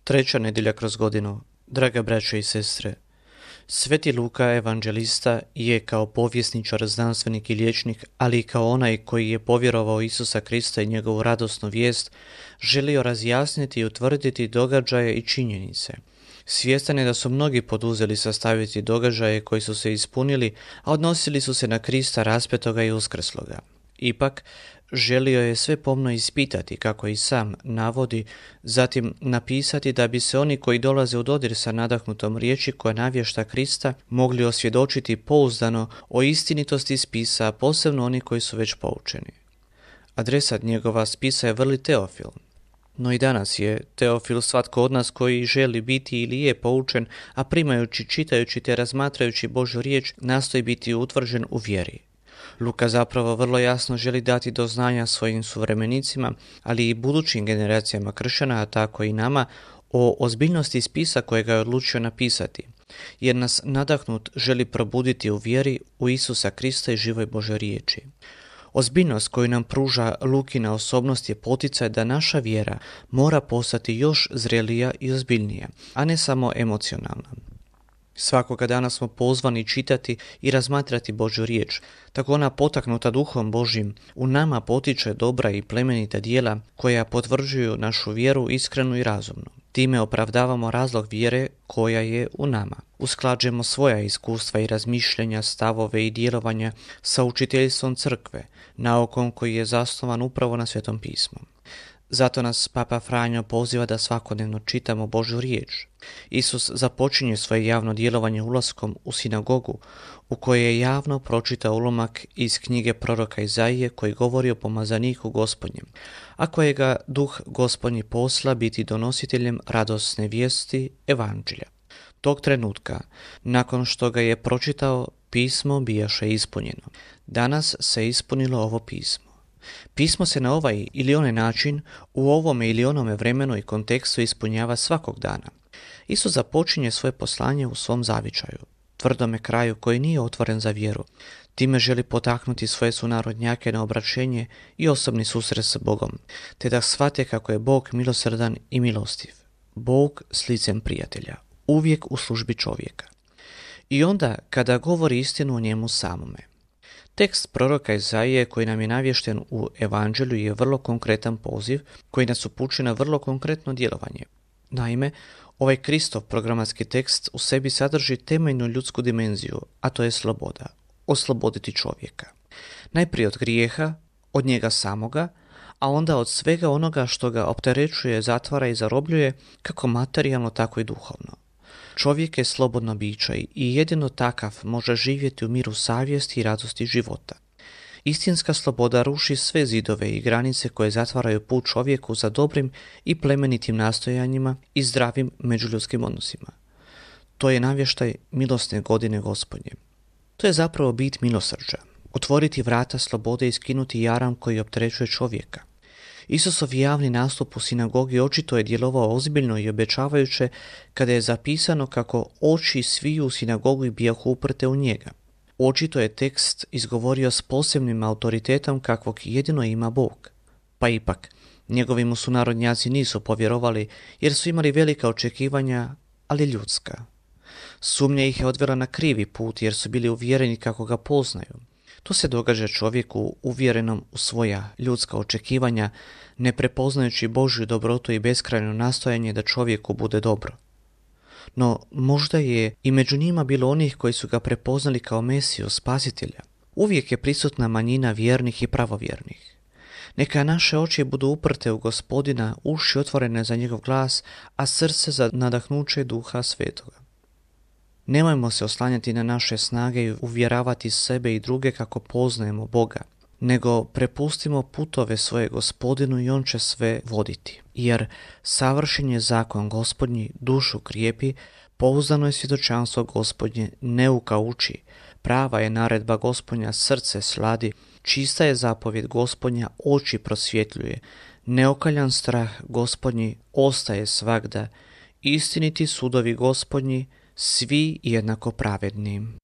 Treća nedjelja kroz godinu. Draga braćo i sestre, Sveti Luka, evanđelista, je kao povjesničar, znanstvenik i liječnik, ali i kao onaj koji je povjerovao Isusa Krista i njegovu radosnu vijest, želio razjasniti i utvrditi događaje i činjenice. Svjestan je da su mnogi poduzeli sastaviti događaje koji su se ispunili, a odnosili su se na Krista raspetoga i uskrsloga. Ipak, želio je sve pomno ispitati, kako i sam navodi, zatim napisati da bi se oni koji dolaze u dodir sa nadahnutom riječi koja navješta Krista mogli osvjedočiti pouzdano o istinitosti spisa, posebno oni koji su već poučeni. Adresat njegova spisa je vrli Teofil. No i danas je Teofil svatko od nas koji želi biti ili je poučen, a primajući, čitajući te razmatrajući Božju riječ, nastoji biti utvrđen u vjeri. Luka zapravo vrlo jasno želi dati do znanja svojim suvremenicima, ali i budućim generacijama kršćana, a tako i nama, o ozbiljnosti spisa kojega je odlučio napisati, jer nas nadahnut želi probuditi u vjeri u Isusa Krista i živoj Božoj riječi. Ozbiljnost koju nam pruža Lukina osobnost je poticaj da naša vjera mora postati još zrelija i ozbiljnija, a ne samo emocionalna. Svakoga dana smo pozvani čitati i razmatrati Božju riječ, tako ona potaknuta Duhom Božjim u nama potiče dobra i plemenita djela koja potvrđuju našu vjeru iskrenu i razumnu. Time opravdavamo razlog vjere koja je u nama. Usklađujemo svoja iskustva i razmišljenja, stavove i djelovanja sa učiteljstvom crkve, naukom koji je zasnovan upravo na Svetom pismu. Zato nas Papa Franjo poziva da svakodnevno čitamo Božju riječ. Isus započinje svoje javno djelovanje ulaskom u sinagogu, u kojoj je javno pročitao ulomak iz knjige proroka Izaije koji govori o pomazaniku Gospodnjem, a kojega Duh Gospodnji posla biti donositeljem radosne vijesti evanđelja. Tog trenutka, nakon što ga je pročitao, pismo bijaše ispunjeno. Danas se ispunilo ovo pismo. Pismo se na ovaj ili onaj način u ovome ili onome vremenu i kontekstu ispunjava svakog dana. Isus započinje svoje poslanje u svom zavičaju, tvrdome kraju koji nije otvoren za vjeru. Time želi potaknuti svoje sunarodnjake na obraćenje i osobni susret s Bogom, te da shvate kako je Bog milosrdan i milostiv. Bog s licem prijatelja, uvijek u službi čovjeka. I onda kada govori istinu o njemu samome. Tekst proroka Izaije koji nam je navješten u evanđelju je vrlo konkretan poziv koji nas upućuje na vrlo konkretno djelovanje. Naime, ovaj Kristov programatski tekst u sebi sadrži temeljnu ljudsku dimenziju, a to je sloboda, osloboditi čovjeka. Najprije od grijeha, od njega samoga, a onda od svega onoga što ga opterećuje, zatvara i zarobljuje, kako materijalno, tako i duhovno. Čovjek je slobodno biće i jedino takav može živjeti u miru savjesti i radosti života. Istinska sloboda ruši sve zidove i granice koje zatvaraju put čovjeku za dobrim i plemenitim nastojanjima i zdravim međuljudskim odnosima. To je navještaj milosne godine Gospodnje. To je zapravo bit milosrđa, otvoriti vrata slobode i skinuti jaram koji opterećuje čovjeka. Isusov javni nastup u sinagogi očito je djelovao ozbiljno i obećavajuće kada je zapisano kako oči sviju u sinagogi bijahu uprte u njega. Očito je tekst izgovorio s posebnim autoritetom kakvog jedino ima Bog. Pa ipak, njegovi mu sunarodnjaci nisu povjerovali jer su imali velika očekivanja, ali ljudska. Sumnja ih je odvela na krivi put jer su bili uvjereni kako ga poznaju. To se događa čovjeku uvjerenom u svoja ljudska očekivanja, ne prepoznajući Božju dobrotu i beskrajno nastojanje da čovjeku bude dobro. No, možda je i među njima bilo onih koji su ga prepoznali kao Mesiju, spasitelja. Uvijek je prisutna manjina vjernih i pravovjernih. Neka naše oči budu uprte u Gospodina, uši otvorene za njegov glas, a srce za nadahnuće Duha Svetoga. Nemojmo se oslanjati na naše snage i uvjeravati sebe i druge kako poznajemo Boga, nego prepustimo putove svoje Gospodinu i on će sve voditi. Jer savršen je zakon Gospodnji, dušu krijepi, pouzdano je svjedočanstvo Gospodnje, neuka uči, prava je naredba Gospodnja, srce sladi, čista je zapovjed Gospodnja, oči prosvjetljuje, neokaljan strah Gospodnji ostaje svagda, istiniti sudovi Gospodnji, svi jednako pravedni.